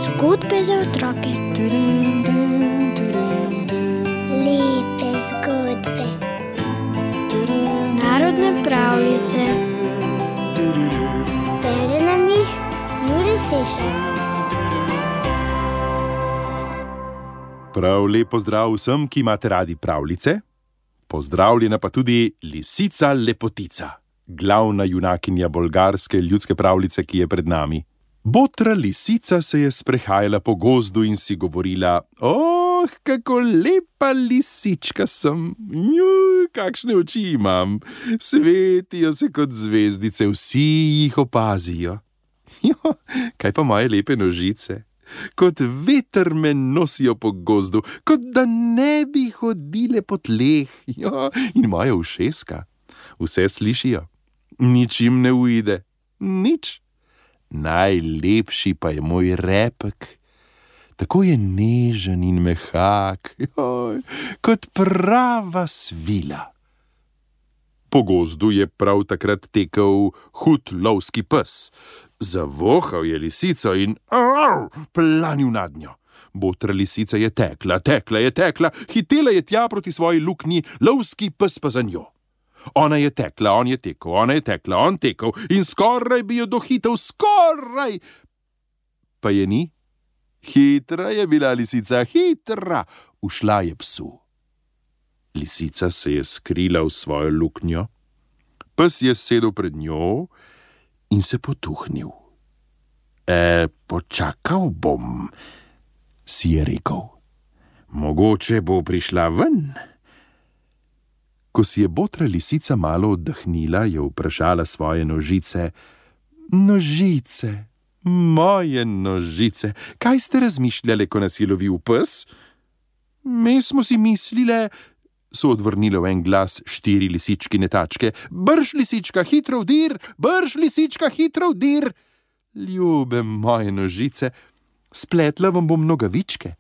Zgodbe za otroke. Lepe zgodbe. Narodne pravljice. Bere nam jih Jure Sešar. Prav lep pozdrav vsem, ki imate radi pravljice. Pozdravljena pa tudi lisica Lepotica, glavna junakinja bolgarske ljudske pravljice, ki je pred nami. Botra lisica se je sprehajala po gozdu in si govorila: kako lepa lisička sem, kakšne oči imam, svetijo se kot zvezdice, vsi jih opazijo. Kaj pa moje lepe nožice? Kot veter me nosijo po gozdu, kot da ne bi hodile po tleh. In moja ušeska, vse slišijo, nič jim ne uide, nič. Najlepši pa je moj repek, tako je nežen in mehak, kot prava svila. Po gozdu je prav takrat tekel hud lovski pes. Zavohal je lisico in planil nad njo. Botra lisica je tekla, hitela je tja proti svoji luknji, lovski pes pa za njo. Ona je tekla, on je tekel, ona je tekla, on tekel in skoraj bi jo dohitel, skoraj! Pa je ni. Hitra je bila lisica, hitra, ušla je psu. Lisica se je skrila v svojo luknjo, pes je sedel pred njo in se potuhnil. Počakal bom, si je rekel. Mogoče bo prišla ven. Ko si je botra lisica malo oddahnila, je vprašala svoje nožice: Nožice, moje nožice, kaj ste razmišljale, ko nas je lovil pes? Mi smo si mislile, so odvrnile v en glas 4 lisičkine tačke: Brž, lisička, hitro vdir, brž, lisička, hitro vdir. Ljube moje nožice, spletla vam bom nogavičke,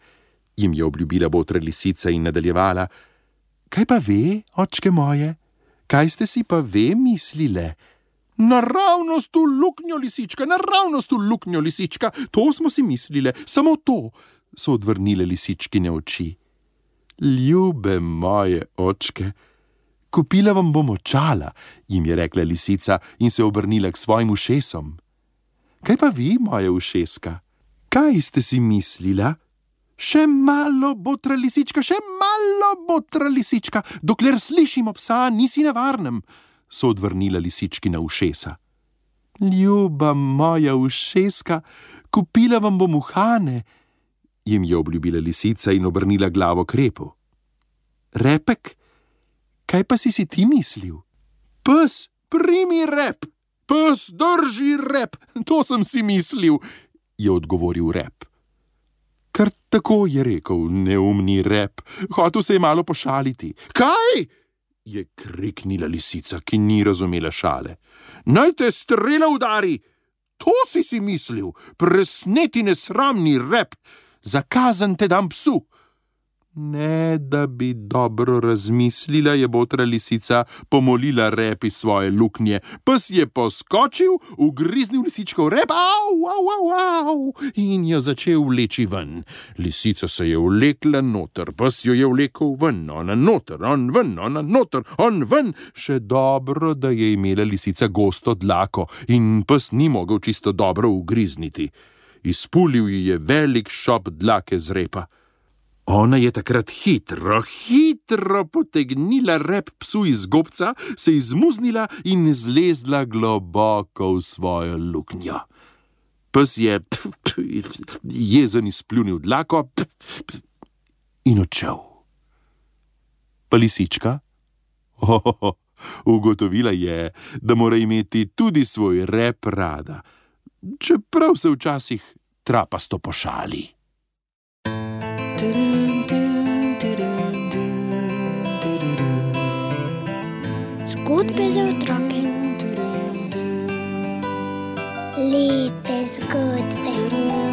jim je obljubila botra lisica in nadaljevala: Kaj pa ve, očke moje, kaj ste si pa ve mislile? Naravnost v luknjo, lisička, naravnost v luknjo, lisička, to smo si mislile, samo to, so odvrnile lisičkine oči. Ljube moje očke, kupila vam bom očala, jim je rekla lisica in se obrnila k svojim ušesom. Kaj pa vi, moja ušeska, kaj ste si mislila? Še malo, botra lisička, še malo, botra lisička, dokler slišimo psa, nisi na varnem, so odvrnila lisičkina ušesa. Ljuba moja ušeska, kupila vam bom uhane, jim je obljubila lisica in obrnila glavo k repu. Repek, kaj pa si ti mislil? Pes, primi rep, pes, drži rep, to sem si mislil, je odgovoril rep. Kar tako je rekel neumni rep, hotel se je malo pošaliti. Kaj? Je kriknila lisica, ki ni razumela šale. Naj te strela udari, to si mislil, presneti nesramni rep, za kazen te dam psu. Ne, da bi dobro razmislila, je botra lisica pomolila rep iz svoje luknje. Pes je poskočil, ugriznil lisičko v rep, in jo začel vleči ven. Lisica se je vlekla noter, pes jo je vlekel ven, ona noter, on ven, ona noter, on ven. Še dobro, da je imela lisica gosto dlako in pes ni mogel čisto dobro ugrizniti. Izpulil ji je velik šop dlake z repa. Ona je takrat hitro potegnila rep psu iz gobca, se izmuznila in zlezla globoko v svojo luknjo. Pes je jezen izpljunil dlako in odšel. Pa lisička? Ugotovila je, da mora imeti tudi svoj rep rada, čeprav se včasih trapasto pošali. Zgodbe za otroke. Lepe zgodbe.